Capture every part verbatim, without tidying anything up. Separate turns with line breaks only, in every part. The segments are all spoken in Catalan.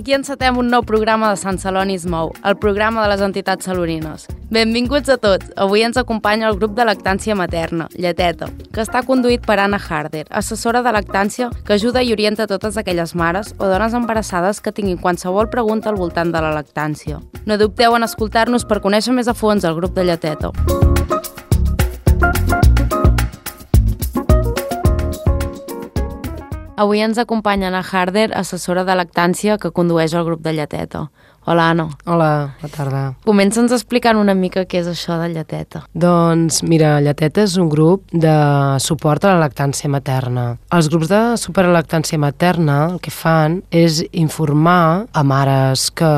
Aquí encetem un nou programa de Sant Celoni es mou, el programa de les entitats salonines. Benvinguts a tots. Avui ens acompanya el grup de lactància materna, Lleteta, que està conduït per Anna Harder, assessora de lactància que ajuda i orienta totes aquelles mares o dones embarassades que tinguin qualsevol pregunta al voltant de la lactància. No dubteu en escoltar-nos per conèixer més a fons el grup de Lleteta. Avui ens acompanya Anna Harder, assessora de lactància que condueix el grup de Lleteta. Hola, Anna.
Hola, bona tarda.
Comença'ns explicant una mica què és això de Lleteta.
Doncs, mira, Lleteta és un grup de suport a la lactància materna. Els grups de suport a la lactància materna el que fan és informar a mares que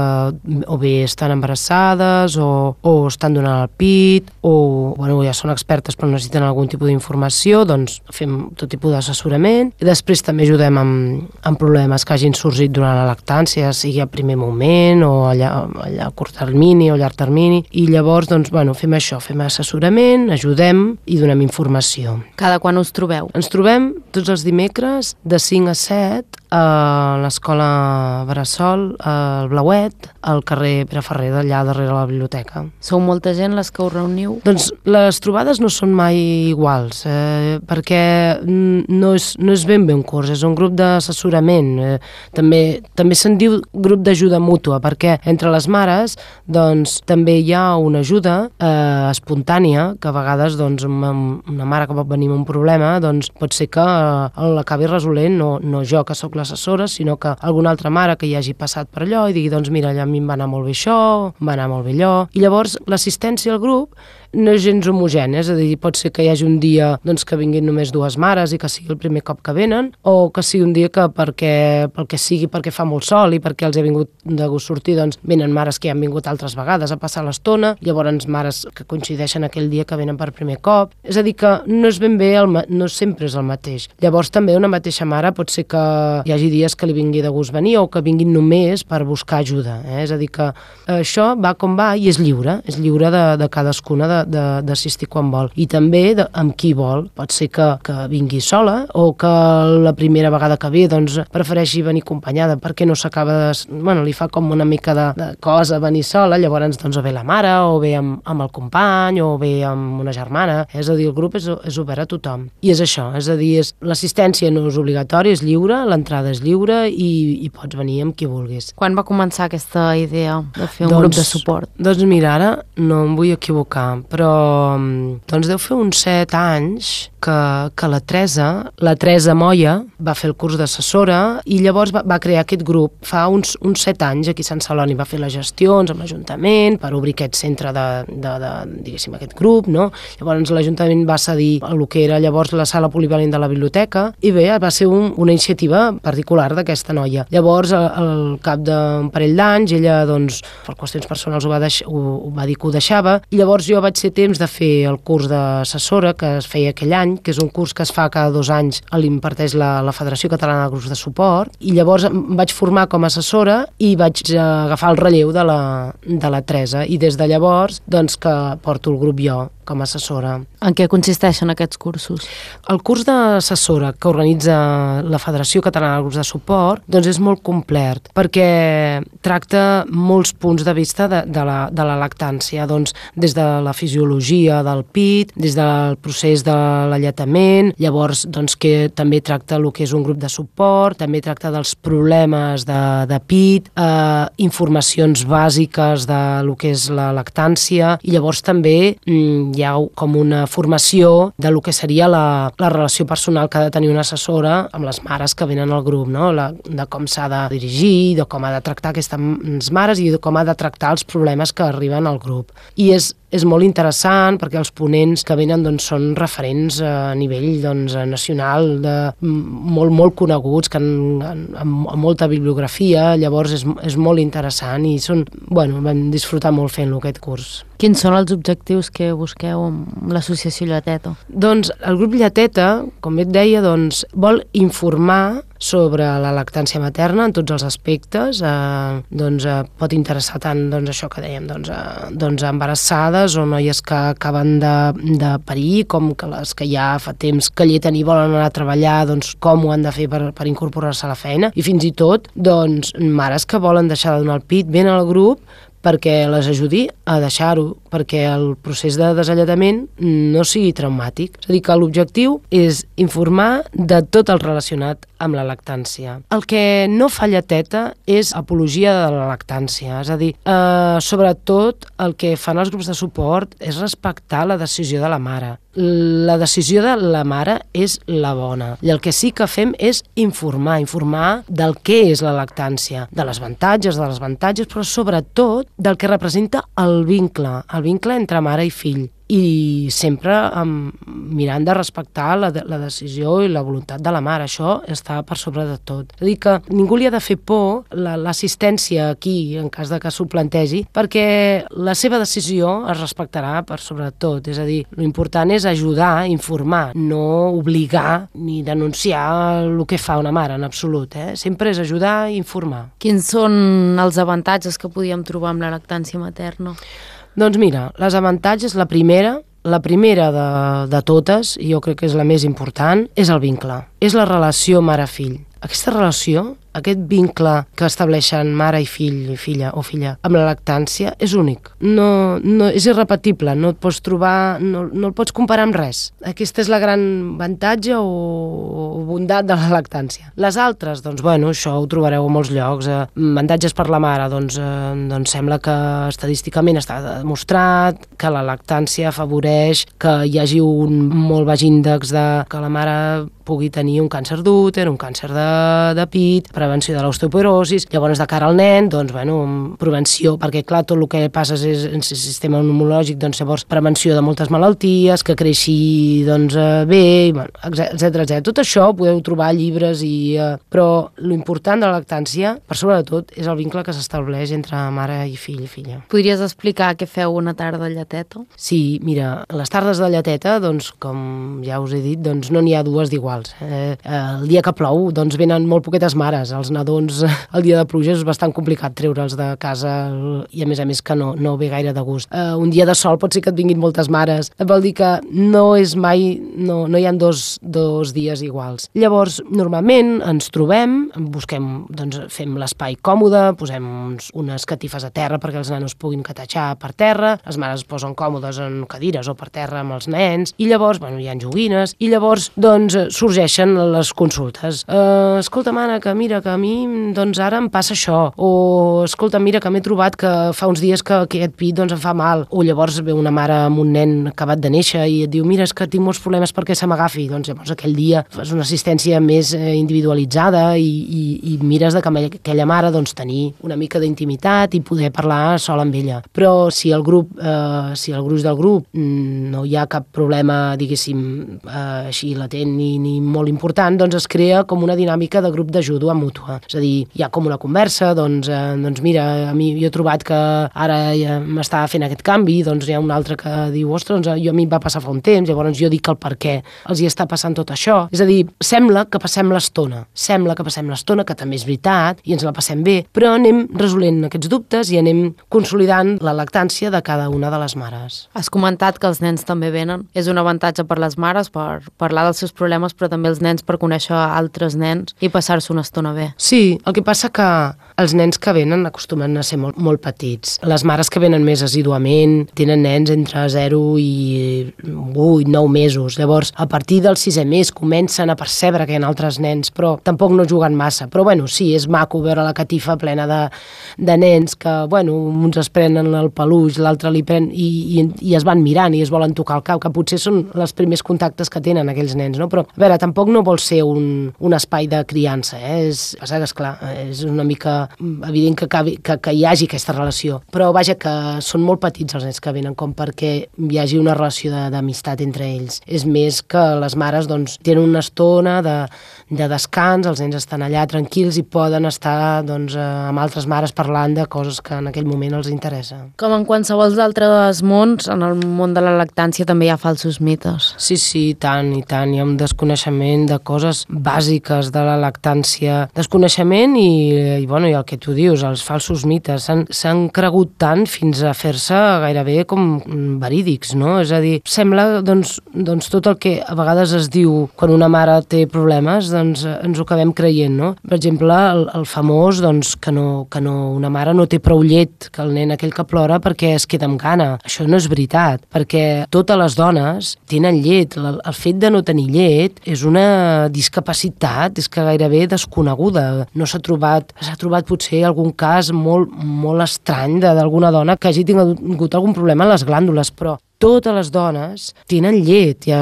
o bé estan embarassades o, o estan donant el pit o bueno, ja són expertes però necessiten algun tipus d'informació, doncs fem tot tipus d'assessorament i després també ajudem amb, amb problemes que hagin sorgit durant la lactància, sigui a primer moment o o allà, allà a curt termini o a llarg termini, i llavors doncs, bueno, fem això, fem assessorament, ajudem i donem informació.
Cada quan us trobeu?
Ens trobem tots els dimecres de cinc a set a l'escola Bressol, al Blauet, al carrer Pere Ferrer, d'allà darrere la biblioteca.
Sou molta gent les que us reuniu?
Doncs les trobades no són mai iguals, eh, perquè no és, no és ben bé un curs, és un grup d'assessorament. Eh, també també se'n diu grup d'ajuda mútua, perquè entre les mares doncs, també hi ha una ajuda eh, espontània, que a vegades doncs, una, una mare que pot venir amb un problema doncs, pot ser que eh, l'acabi resolent, no, no jo que sóc l'assessora, sinó que alguna altra mare que hi hagi passat per allò i digui, doncs mira, a mi em va anar molt bé això, em va anar molt bé allò. I llavors l'assistència al grup no és gens homogènia, és a dir, pot ser que hi hagi un dia doncs, que vinguin només dues mares i que sigui el primer cop que venen, o que sigui un dia que perquè, pel que sigui, perquè fa molt sol i perquè els he vingut de gust sortir, doncs venen mares que ja han vingut altres vegades a passar l'estona, llavors mares que coincideixen aquell dia que venen per primer cop. És a dir, que no és ben bé, el, no sempre és el mateix. Llavors també una mateixa mare pot ser que hi hagi dies que li vingui de gust venir o que vinguin només per buscar ajuda. Eh? És a dir, que això va com va i és lliure, és lliure de, de cadascuna de d'assistir quan vol. I també de, amb qui vol. Pot ser que, que vingui sola o que la primera vegada que ve doncs, prefereixi venir acompanyada perquè no s'acaba de... Bueno, li fa com una mica de, de cosa venir sola, llavors doncs, o ve la mare o ve amb, amb el company o ve amb una germana. És a dir, el grup és, és obert a tothom. I és això, és a dir, és, l'assistència no és obligatòria, és lliure, l'entrada és lliure i, i pots venir amb qui vulguis.
Quan va començar aquesta idea de fer un
doncs,
grup de suport?
Doncs mira, ara no em vull equivocar, però doncs deu fer uns set anys que, que la Teresa, la Teresa Moya, va fer el curs d'assessora i llavors va, va crear aquest grup. Fa uns, uns set anys aquí a Sant Celoni va fer les gestions amb l'Ajuntament per obrir aquest centre de, de, de diguéssim, aquest grup, no? Llavors l'Ajuntament va cedir el que era llavors la sala polivalent de la biblioteca i bé, va ser un, una iniciativa particular d'aquesta noia. Llavors, al, al cap d'un parell d'anys, ella, doncs, per qüestions personals ho va, deix, ho, ho va dir que ho deixava i llavors jo vaig ser temps de fer el curs d'assessora que es feia aquell any, que és un curs que es fa cada dos anys, l'imparteix la, la Federació Catalana de Grups de Suport, i llavors em vaig formar com a assessora i vaig agafar el relleu de la, de la Teresa, i des de llavors doncs que porto el grup jo com a assessora.
En què consisteixen aquests cursos?
El curs d'assessora que organitza la Federació Catalana de Grups de Suport doncs és molt complet perquè tracta molts punts de vista de, de, la, de la lactància, doncs des de la fisiologia del pit, des del procés de l'alletament, llavors doncs que també tracta el que és un grup de suport, també tracta dels problemes de, de pit, eh, informacions bàsiques de lo que és la lactància i llavors també mm, hi ha com una formació de lo que seria la, la relació personal que ha de tenir una assessora amb les mares que venen al grup, no? La, de com s'ha de dirigir, de com ha de tractar aquestes mares i de com ha de tractar els problemes que arriben al grup. I és és molt interessant perquè els ponents que venen doncs, són referents a nivell doncs, nacional, de, molt, molt coneguts, que han, han, amb, amb molta bibliografia, llavors és, és molt interessant i són, bueno, vam disfrutar molt fent-lo aquest curs.
Quins són els objectius que busqueu amb l'associació Lleteta?
Doncs el grup Lleteta, com et deia, doncs, vol informar sobre la lactància materna en tots els aspectes. Eh, doncs eh, pot interessar tant doncs, això que dèiem, doncs, eh, doncs embarassades o noies que acaben de, de parir, com que les que ja fa temps que lleten i volen anar a treballar, doncs com ho han de fer per, per incorporar-se a la feina, i fins i tot doncs, mares que volen deixar de donar el pit, venen al grup perquè les ajudi a deixar-ho, perquè el procés de desalletament no sigui traumàtic. És a dir, que l'objectiu és informar de tot el relacionat amb la lactància. El que no fa lleteta és apologia de la lactància, és a dir, eh, sobretot el que fan els grups de suport és respectar la decisió de la mare. La decisió de la mare és la bona, i el que sí que fem és informar, informar del que és la lactància, de les avantatges, de les avantatges, però sobretot del que representa el vincle, el vincle entre mare i fill, i sempre um, mirant de respectar la, la decisió i la voluntat de la mare. Això està per sobre de tot. És a dir, que ningú li ha de fer por l'assistència aquí, en cas de que s'ho plantegi, perquè la seva decisió es respectarà per sobre de tot. És a dir, l'important és ajudar, informar, no obligar ni denunciar el que fa una mare, en absolut. Eh? Sempre és ajudar i informar.
Quins són els avantatges que podíem trobar amb la lactància materna?
Doncs mira, les avantatges, la primera, la primera de, de totes, i jo crec que és la més important, és el vincle. És la relació mare-fill. Aquesta relació, aquest vincle que estableixen mare i fill, filla o filla, amb la lactància, és únic. No, no, és irrepetible, no et pots trobar, no, no el pots comparar amb res. Aquesta és la gran avantatge o, o bondat de la lactància. Les altres, doncs, bueno, això ho trobareu a molts llocs. Eh, avantatges per la mare, doncs, eh, doncs sembla que estadísticament està demostrat que la lactància afavoreix que hi hagi un molt baix índex de que la mare pugui tenir un càncer d'úter, un càncer de, de pit, prevenció de l'osteoporosis. Llavors, de cara al nen, doncs, bueno, prevenció, perquè, clar, tot el que passa és en el sistema immunològic, doncs, llavors, prevenció de moltes malalties, que creixi, doncs, bé, bueno, etcètera, etcètera. Tot això ho podeu trobar a llibres, i, eh, però l'important de la lactància, per sobre de tot, és el vincle que s'estableix entre mare i fill i filla.
Podries explicar què feu una tarda de lleteta?
Sí, mira, les tardes de lleteta, doncs, com ja us he dit, doncs, no n'hi ha dues d'iguals. Eh, el dia que plou, doncs, venen molt poquetes mares. Els nadons, el dia de pluja és bastant complicat treure'ls de casa, i a més a més que no, no ve gaire de gust. Eh, un dia de sol pot ser que et vinguin moltes mares. Vol dir que no és mai, no, no hi ha dos, dos dies iguals. Llavors, normalment ens trobem, busquem, doncs, fem l'espai còmode, posem uns, unes catifes a terra perquè els nanos puguin catatxar per terra, les mares es posen còmodes en cadires o per terra amb els nens, i llavors, bueno, hi ha joguines, i llavors, doncs, sorgeixen les consultes. Uh, escolta, mana, que mira, que a mi, doncs, ara em passa això. O, escolta, mira, que m'he trobat que fa uns dies que, que aquest pit, doncs, em fa mal. O llavors ve una mare amb un nen acabat de néixer i et diu, mira, és que tinc molts problemes perquè se m'agafi. Doncs, llavors, aquell dia fas una assistència més eh, individualitzada i, i, i mires de que aquella mare, doncs, tenir una mica d'intimitat i poder parlar sol amb ella. Però si el grup, eh, si el gruix del grup no hi ha cap problema, diguéssim, eh, així latent ni, ni molt important, doncs es crea com una dinàmica de grup d'ajuda mútua. És a dir, hi ha com una conversa, doncs, eh, doncs mira, a mi jo he trobat que ara ja m'està fent aquest canvi, doncs hi ha un altre que diu, ostres, doncs, jo a mi em va passar fa un temps, llavors jo dic el per què els hi està passant tot això. És a dir, sembla que passem l'estona, sembla que passem l'estona, que també és veritat, i ens la passem bé, però anem resolent aquests dubtes i anem consolidant la lactància de cada una de les mares.
Has comentat que els nens també venen. És un avantatge per les mares per parlar dels seus problemes, però també els nens per conèixer altres nens i passar-se una estona bé.
Sí, el que passa que els nens que venen acostumen a ser molt, molt petits. Les mares que venen més assiduament tenen nens entre zero i vuit, nou mesos. Llavors, a partir del sisè mes comencen a percebre que hi ha altres nens, però tampoc no juguen massa. Però, bueno, sí, és maco veure la catifa plena de, de nens que, bueno, uns es prenen el peluix, l'altre li pren i, i, i es van mirant i es volen tocar el cap, que potser són els primers contactes que tenen aquells nens, no? Però, a veure, tampoc no vol ser un, un espai de criança, eh? És, és, passa que, esclar, és una mica evident que, que, que, que hi hagi aquesta relació, però vaja, que són molt petits els nens que venen com perquè hi hagi una relació d'amistat entre ells. És més que les mares doncs, tenen una estona de, de descans, els nens estan allà tranquils i poden estar doncs, amb altres mares parlant de coses que en aquell moment els interessa.
Com en qualsevol d'altres mons, en el món de la lactància també hi ha falsos mites.
Sí, sí, i tant, i tant. Hi ha un desconeixement de coses bàsiques de la lactància. Desconeixement i, i, bueno, i el que tu dius, els falsos mites. S'han cregut tant fins a fer-se gairebé com verídics, no? És a dir, sembla doncs, doncs tot el que a vegades es diu quan una mare té problemes, doncs ens ho acabem creient, no? Per exemple, el, el famós doncs, que, no, que no, una mare no té prou llet, que el nen aquell que plora perquè es queda amb gana. Això no és veritat, perquè totes les dones tenen llet. El, el fet de no tenir llet és una discapacitat, és que gairebé desconeguda. No s'ha trobat, s'ha trobat potser algun cas molt, molt estrany d'alguna dona que hagi tingut algun problema a les glàndules, però totes les dones tenen llet. Ja,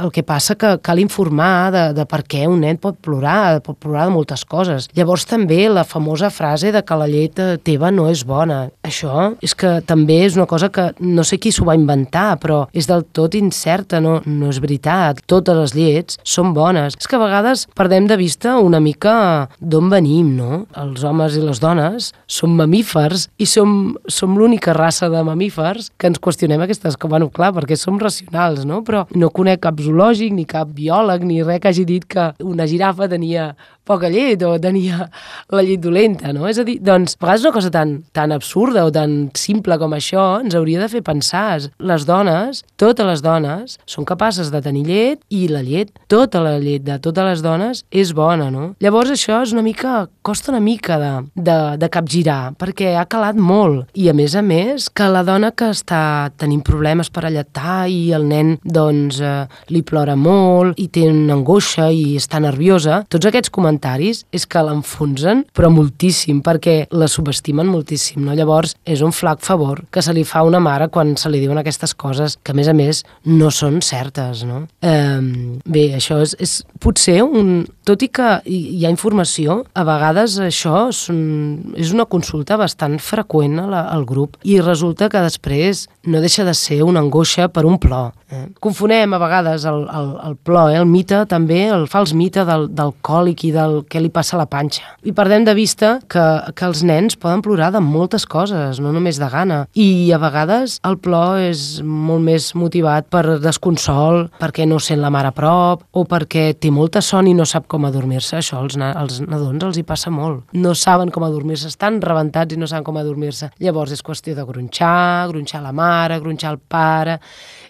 el que passa que cal informar de, de per què un nen pot plorar, pot plorar de moltes coses. Llavors també la famosa frase de que la llet teva no és bona. Això és que també és una cosa que no sé qui s'ho va inventar, però és del tot incerta, no, no és veritat. Totes les llets són bones. És que a vegades perdem de vista una mica d'on venim, no? Els homes i les dones som mamífers i som, som l'única raça de mamífers que ens qüestionem aquestes que, bueno, clar, perquè som racionals, no? Però no conec cap zoològic, ni cap biòleg, ni res que hagi dit que una girafa tenia poca llet o tenia la llet dolenta, no? És a dir, doncs, a vegades una cosa tan, tan absurda o tan simple com això ens hauria de fer pensar. Les dones, totes les dones, són capaces de tenir llet i la llet, tota la llet de totes les dones és bona, no? Llavors això és una mica, costa una mica de, de, de capgirar, perquè ha calat molt. I a més a més, que la dona que està tenint problemes per alletar i el nen, doncs, eh, li plora molt i té una angoixa i està nerviosa, tots aquests comentaris és que l'enfonsen, però moltíssim, perquè la subestimen moltíssim, no? Llavors, és un flac favor que se li fa a una mare quan se li diuen aquestes coses que, a més a més, no són certes, no? Eh, bé, això és, és potser un... Tot i que hi ha informació, a vegades això és, un, és una consulta bastant freqüent a la, al grup i resulta que després no deixa de ser una angoixa per un plor. Eh? Confonem a vegades el, el, el plor, eh? El mite també, el fals mite del, del còlic i del què li passa a la panxa. I perdem de vista que, que els nens poden plorar de moltes coses, no només de gana. I a vegades el plor és molt més motivat per desconsol, perquè no sent la mare a prop, o perquè té molta son i no sap com adormir-se. Això als, als nadons els hi passa molt. No saben com adormir-se, estan rebentats i no saben com adormir-se. Llavors és qüestió de gronxar, gronxar la mare, gronxar el pare,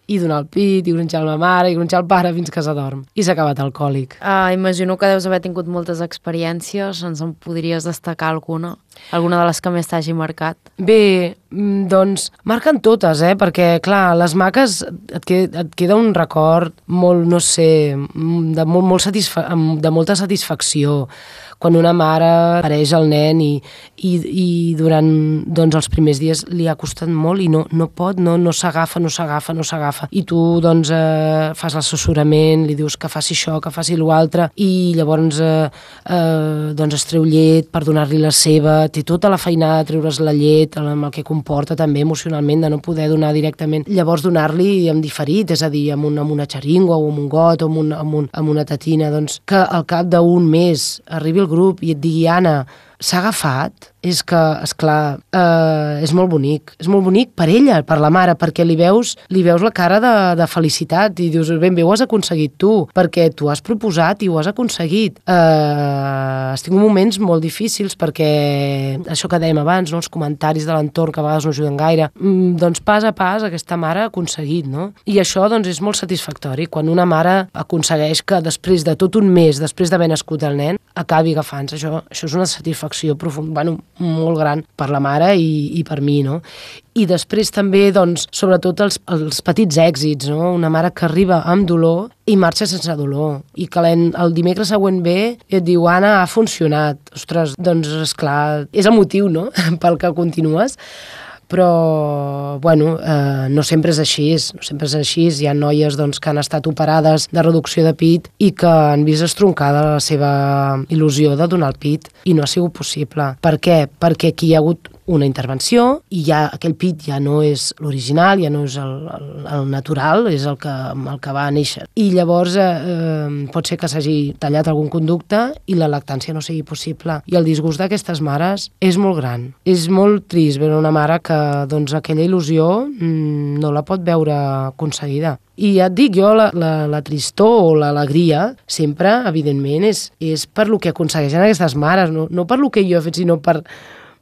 i donar el pit, i gronxar la mare, i gronxar el pare fins que s'adorm. I s'ha acabat el còlic.
Uh, imagino que deus haver tingut moltes experiències. Ens en podries destacar alguna? Alguna de les que més t'hagi marcat?
Bé, doncs marquen totes, eh? Perquè, clar, les maques et queda, et queda un record molt, no sé, de, molt, molt satisfa de molta satisfacció quan una mare apareix el nen i, i, i durant doncs, els primers dies li ha costat molt i no, no pot, no, no s'agafa, no s'agafa, no s'agafa. I tu doncs, eh, fas l'assessorament, li dius que faci això, que faci l'altre, i llavors eh, eh, doncs es treu llet per donar-li la seva, té tota la feinada de treure's la llet, amb el que comporta també emocionalment de no poder donar directament. Llavors donar-li en diferit, és a dir, amb, un, amb una xeringa o amb un got o amb, un, amb, un, amb una tetina, doncs que al cap d'un mes arribi el grup i et digui, Anna, s'ha agafat, és que, esclar, eh, és molt bonic. És molt bonic per ella, per la mare, perquè li veus, li veus la cara de, de felicitat i dius, ben bé, ho has aconseguit tu, perquè tu has proposat i ho has aconseguit. Eh, has tingut moments molt difícils perquè, això que dèiem abans, no? Els comentaris de l'entorn que a vegades no ajuden gaire, mm, doncs pas a pas aquesta mare ha aconseguit, no? I això doncs és molt satisfactori, quan una mare aconsegueix que després de tot un mes, després d'haver nascut el nen, acabi agafant-se. Això, això és una satisfacció profunda, bueno, molt gran per la mare i, i per mi, no? I després també, doncs, sobretot els, els petits èxits, no? Una mare que arriba amb dolor i marxa sense dolor, i que el dimecres següent ve i et diu, Anna, ha funcionat. Ostres, doncs, esclar, és el motiu, no?, pel que continues. però bueno, eh, no sempre és així, no sempre és així. Hi ha noies doncs, que han estat operades de reducció de pit i que han vist estroncada la seva il·lusió de donar el pit i no ha sigut possible. Per què? Perquè aquí hi ha hagut una intervenció i ja aquell pit ja no és l'original, ja no és el, el, el natural, és el que, el que va néixer. I llavors eh, eh, pot ser que s'hagi tallat algun conducte i la lactància no sigui possible. I el disgust d'aquestes mares és molt gran. És molt trist veure una mare que doncs, aquella il·lusió mmm, no la pot veure aconseguida. I ja et dic, jo la, la, la tristor o l'alegria sempre, evidentment, és, és per lo que aconsegueixen aquestes mares, no, no per lo que jo he fet, sinó per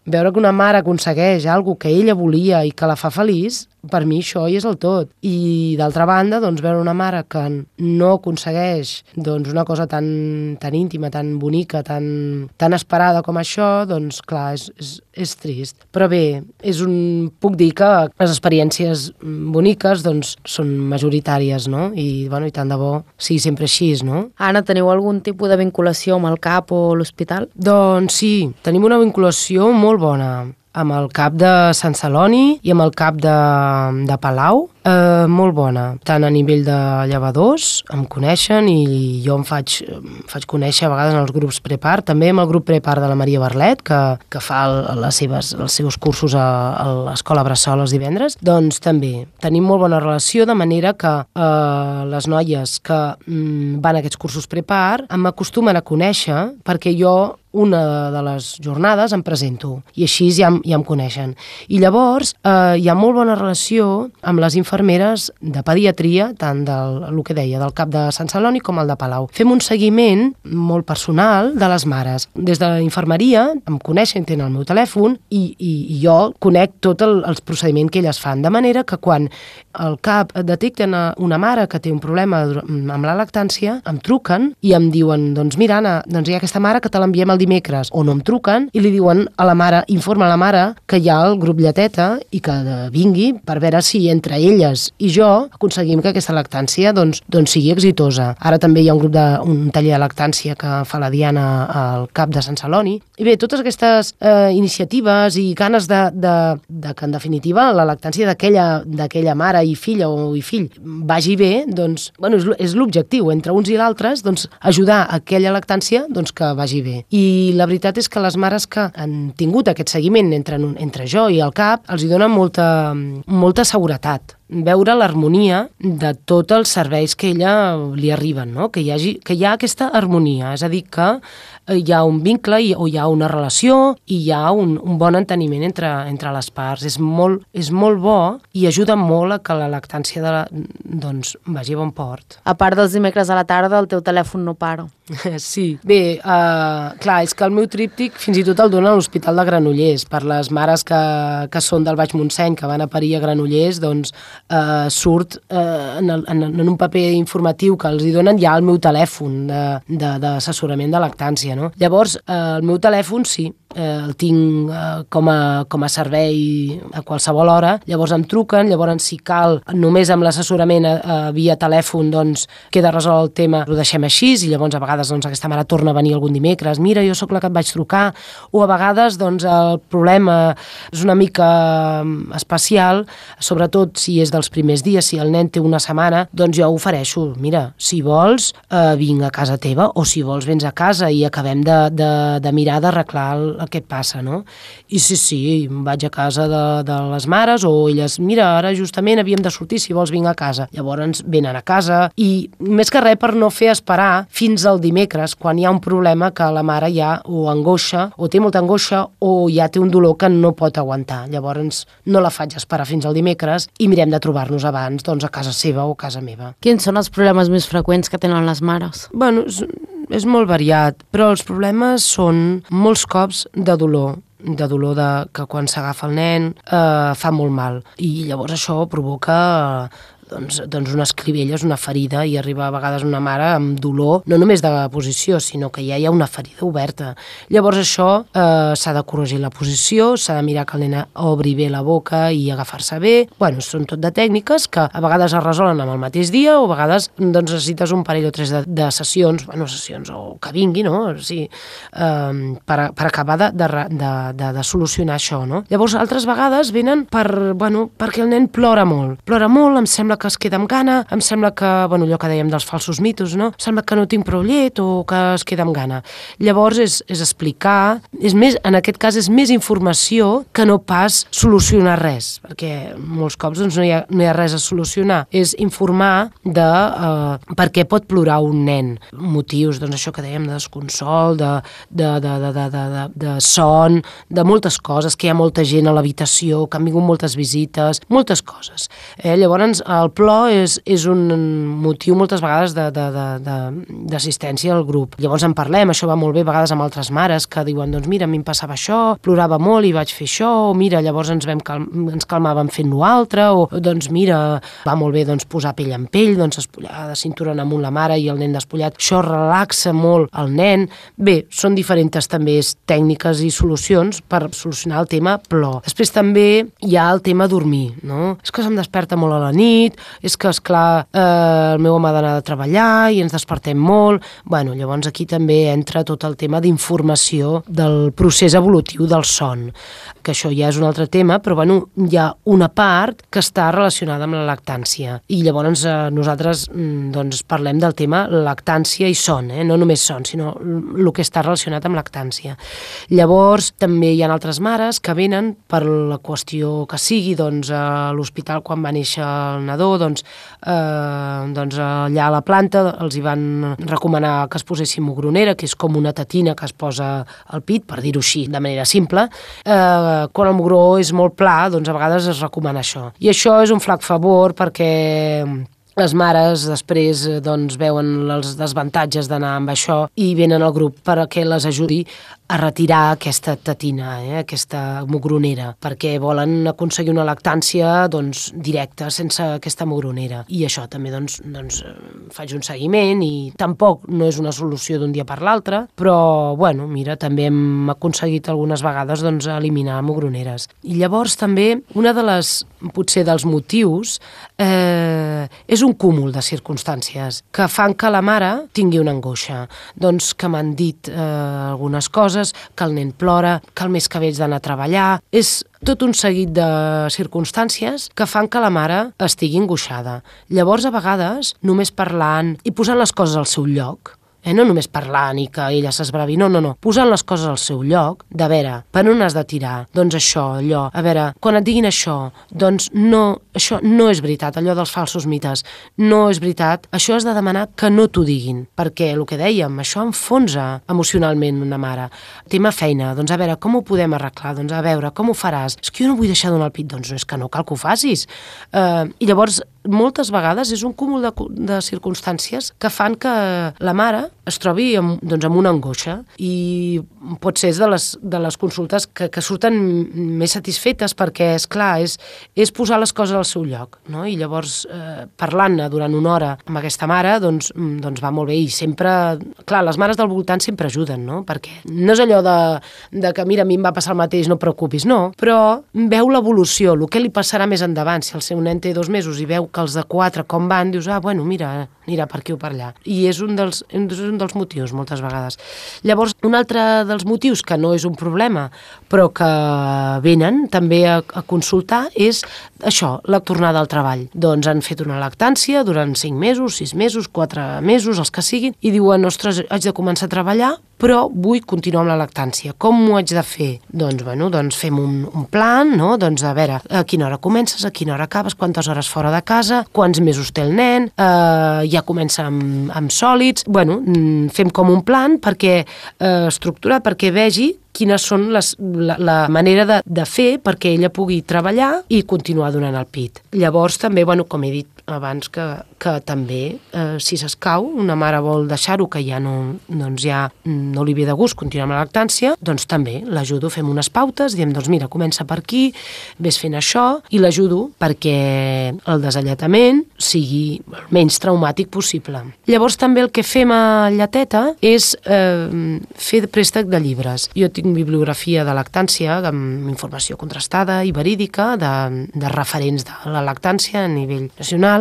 veure que una mare aconsegueix alguna que ella volia i que la fa feliç, per mi això hi és el tot. I d'altra banda, doncs, veure una mare que no aconsegueix doncs, una cosa tan, tan íntima, tan bonica, tan, tan esperada com això, doncs clar, és, és, és trist. Però bé, és un, puc dir que les experiències boniques doncs, són majoritàries, no? I, bueno, i tant de bo sigui sempre així, no?
Anna, teniu algun tipus de vinculació amb el C A P o l'hospital?
Doncs sí, tenim una vinculació molt bona amb el C A P de Sant Celoni i amb el C A P de, de Palau, eh, molt bona. Tant a nivell de llevadors, em coneixen i jo em faig, em faig conèixer a vegades en els grups Prepar, també amb el grup Prepar de la Maria Barlet, que, que fa el, les seves, els seus cursos a, a l'Escola Bressol els divendres, doncs també tenim molt bona relació, de manera que eh, les noies que mm, van a aquests cursos Prepar m'acostumen a conèixer perquè jo una de les jornades em presento i així ja, ja em coneixen. I llavors eh, hi ha molt bona relació amb les infermeres de pediatria, tant del el que deia, del C A P de Sant Celoni com el de Palau. Fem un seguiment molt personal de les mares. Des de la infermeria em coneixen, tenen el meu telèfon i, i, i jo conec tot el, els procediments que elles fan, de manera que quan el C A P detecten una mare que té un problema amb la lactància, em truquen i em diuen, doncs mira Anna, doncs hi ha aquesta mare que te l'enviem el dimecres, o no em truquen i li diuen a la mare, informa a la mare que hi ha el grup Lleteta i que vingui per veure si entre elles i jo aconseguim que aquesta lactància doncs, doncs sigui exitosa. Ara també hi ha un grup de, un taller de lactància que fa la Diana al C A P de Sant Celoni. I bé, totes aquestes eh, iniciatives i ganes de, de, de que en definitiva la lactància d'aquella mare i filla o i fill vagi bé, doncs, bueno, és, és l'objectiu entre uns i l'altres, doncs ajudar a aquella lactància doncs, que vagi bé. I la veritat és que les mares que han tingut aquest seguiment entre, entre jo i el C A P els hi dona molta, molta seguretat. Veure l'harmonia de tots els serveis que ella li arriben, no? Que hi hagi, que hi ha aquesta harmonia, és a dir, que hi ha un vincle i, o hi ha una relació i hi ha un, un bon enteniment entre, entre les parts. És molt, és molt bo i ajuda molt a que la lactància de la, doncs, vagi a bon port.
A part dels dimecres a la tarda, el teu telèfon no para.
Sí. Bé, uh, clar, és que el meu tríptic fins i tot el dona a l'Hospital de Granollers. Per les mares que, que són del Baix Montseny, que van a parir a Granollers, doncs uh, surt uh, en, el, en, en un paper informatiu que els hi donen ja el meu telèfon d'assessorament de, de, de lactància, no? Llavors, eh, el meu telèfon sí, eh, el tinc eh, com, a, com a servei a qualsevol hora, llavors em truquen, llavors si cal, només amb l'assessorament eh, via telèfon, doncs queda resolt el tema, ho deixem així, i llavors a vegades doncs, aquesta mare torna a venir algun dimecres, mira, jo sóc la que et vaig trucar, o a vegades doncs, el problema és una mica especial, sobretot si és dels primers dies, si el nen té una setmana, doncs jo ofereixo, mira, si vols, eh, vinc a casa teva, o si vols vens a casa i acabem de, de, de mirar d'arreglar el, el que et passa, no? I sí, sí, vaig a casa de, de les mares, o elles, mira, ara justament havíem de sortir, si vols vinc a casa. Llavors venen a casa, i més que res per no fer esperar fins al dimecres, quan hi ha un problema que la mare ja o angoixa, o té molta angoixa, o ja té un dolor que no pot aguantar. Llavors no la faig esperar fins al dimecres i mirem de trobar-nos abans, doncs a casa seva o a casa meva.
Quins són els problemes més freqüents que tenen les mares?
Bueno, és, és molt variat, però els problemes són molts cops de dolor, de dolor de, que quan s'agafa el nen eh, fa molt mal. I llavors això provoca doncs, doncs unes clivelles, una ferida, i arriba a vegades una mare amb dolor, no només de la posició, sinó que ja hi ha una ferida oberta. Llavors això eh, s'ha de corregir la posició, s'ha de mirar que el nen obri bé la boca i agafar-se bé. Bueno, són tot de tècniques que a vegades es resolen amb el mateix dia o a vegades doncs, necessites un parell o tres de, de sessions, bueno, sessions o que vingui, no? O sigui, eh, per, per acabar de, de, de, de, de solucionar això, no? Llavors, altres vegades venen per, bueno, perquè el nen plora molt. Plora molt, em sembla que es queda amb gana, em sembla que, bueno, allò que dèiem dels falsos mitos, no? Em sembla que no tinc prou llet o que es queda amb gana. Llavors, és, és explicar, és més, en aquest cas és més informació que no pas solucionar res, perquè molts cops doncs, no, hi ha, no hi ha res a solucionar. És informar de eh, per què pot plorar un nen. Motius, doncs això que dèiem, de desconsol, de, de, de, de, de, de, de, de son, de moltes coses, que hi ha molta gent a l'habitació, que han vingut moltes visites, moltes coses. Eh? Llavors, el plor és, és un motiu moltes vegades d'assistència al grup. Llavors en parlem, això va molt bé a vegades amb altres mares que diuen, doncs mira, a mi em passava això, plorava molt i vaig fer això, o mira, llavors ens, vam cal ens calmàvem fent l'altre, o doncs mira, va molt bé doncs, posar pell en pell, doncs espollar de cintura en amunt la mare i el nen despullat, això relaxa molt el nen. Bé, són diferents també tècniques i solucions per solucionar el tema plor. Després també hi ha el tema dormir, no? És que se'm desperta molt a la nit, és que, esclar, eh, el meu home ha d'anar a treballar i ens despertem molt. Bueno, llavors aquí també entra tot el tema d'informació del procés evolutiu del son, que això ja és un altre tema, però bueno, hi ha una part que està relacionada amb la lactància. I llavors eh, nosaltres doncs, parlem del tema lactància i son, eh? No només son, sinó el que està relacionat amb lactància. Llavors també hi ha altres mares que venen per la qüestió que sigui, doncs a l'hospital quan va néixer el nadó, doncs, eh, doncs allà a la planta els hi van recomanar que es posessin mugronera, que és com una tetina que es posa al pit, per dir-ho així, de manera simple. Eh, quan el mugró és molt pla, doncs a vegades es recomana això. I això és un flac favor perquè les mares després doncs, veuen els desavantatges d'anar amb això i venen al grup perquè les ajudi a retirar aquesta tetina, eh, aquesta mugronera, perquè volen aconseguir una lactància doncs, directa, sense aquesta mugronera. I això també doncs, doncs, faig un seguiment i tampoc no és una solució d'un dia per l'altre, però bueno, mira, també hem aconseguit algunes vegades doncs, eliminar mugroneres. I llavors també una de les, potser dels motius, eh, és un cúmul de circumstàncies que fan que la mare tingui una angoixa. Doncs que m'han dit eh, algunes coses, que el nen plora, que el mes que veig d'anar a treballar. És tot un seguit de circumstàncies que fan que la mare estigui angoixada. Llavors, a vegades, només parlant i posant les coses al seu lloc, Eh, no només parlant i que ella s'esbravi, no, no, no, posant les coses al seu lloc, de veure, per on has de tirar? Doncs això, allò, a veure, quan et diguin això, doncs no, això no és veritat, allò dels falsos mites, no és veritat, això has de demanar que no t'ho diguin, perquè el que dèiem, això enfonsa emocionalment una mare. Tema feina, doncs a veure, com ho podem arreglar? Doncs a veure, com ho faràs? És que jo no vull deixar donar el pit, doncs no és que no cal que ho facis. Eh, I llavors, moltes vegades és un cúmul de, de circumstàncies que fan que la mare es trobi amb, doncs, amb una angoixa i pot ser de les, de les consultes que, que surten més satisfetes perquè, és clar, és, és posar les coses al seu lloc, no? I llavors, eh, parlant-ne durant una hora amb aquesta mare, doncs, doncs va molt bé i sempre, clar, les mares del voltant sempre ajuden, no? Perquè no és allò de, de que, mira, a mi em va passar el mateix, no et preocupis, no, però veu l'evolució, el que li passarà més endavant, si el seu nen té dos mesos i veu que els de quatre com van, dius, ah, bueno, mira, anirà per aquí o per allà. I és un dels, és un dels motius, moltes vegades. Llavors, un altre dels motius, que no és un problema, però que venen també a, a consultar, és això, la tornada al treball. Doncs han fet una lactància durant cinc mesos, sis mesos, quatre mesos, els que siguin, i diuen, ostres, haig de començar a treballar, però vull continuar amb la lactància. Com ho haig de fer? Doncs, bueno, doncs fem un, un plan, no? Doncs a veure, a quina hora comences, a quina hora acabes, quantes hores fora de casa, quants mesos té el nen, eh, ja comença amb, amb sòlids. Bueno, fem com un plan perquè eh, estructurat, perquè vegi quines són les, la, la manera de, de fer perquè ella pugui treballar i continuar donant el pit. Llavors també, bueno, com he dit abans, que, que també, eh, si s'escau, una mare vol deixar-ho, que ja no, doncs ja no li ve de gust continuar amb la lactància, doncs també l'ajudo, fem unes pautes, diem, doncs mira, comença per aquí, ves fent això, i l'ajudo perquè el desalletament sigui el menys traumàtic possible. Llavors també el que fem a Lleteta és eh, fer préstec de llibres. Jo tinc bibliografia de lactància amb informació contrastada i verídica de, de referents de la lactància a nivell nacional,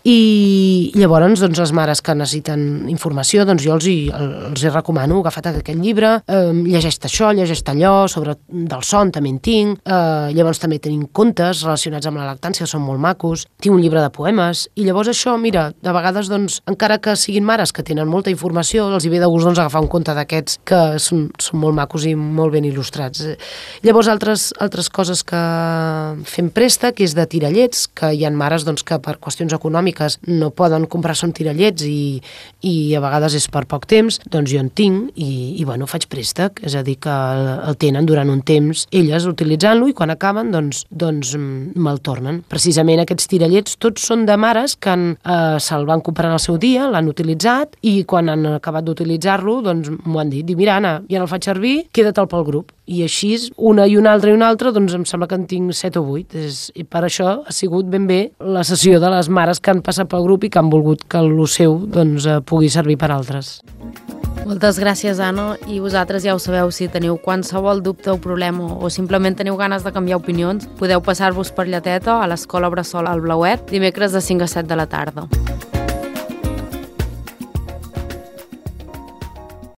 i llavors doncs, les mares que necessiten informació, doncs jo els hi, els hi recomano, agafa't aquest llibre, eh, llegeix-te això, llegeix-te allò, sobre del son també en tinc, eh, llavors també tenim contes relacionats amb la lactància, que són molt macos, tinc un llibre de poemes, i llavors això, mira, de vegades, doncs, encara que siguin mares que tenen molta informació, els hi ve de gust doncs, agafar un conte d'aquests que són, són molt macos i molt ben il·lustrats. Llavors, altres, altres coses que fem préstec és de tirallets, que hi ha mares doncs, que per qüestions econòmiques no poden comprar-se un tirallets i, i a vegades és per poc temps, doncs jo en tinc i, i bueno, faig préstec, és a dir, que el, el tenen durant un temps elles utilitzant-lo i quan acaben doncs, doncs me'l tornen. Precisament aquests tirallets tots són de mares que han, eh, se'l van comprar en el seu dia, l'han utilitzat i quan han acabat d'utilitzar-lo doncs m'ho han dit, diu, mira Anna, ja no el faig servir, queda't pel grup. I així, una i una altra i una altra, doncs em sembla que en tinc set o vuit. És, i per això ha sigut ben bé la sessió de les mares que han passat pel grup i que han volgut que el seu doncs, pugui servir per altres.
Moltes gràcies, Anna, i vosaltres ja ho sabeu, si teniu qualsevol dubte o problema o simplement teniu ganes de canviar opinions, podeu passar-vos per Lleteta a l'Escola Bressol al Blauet dimecres de cinc a set de la tarda.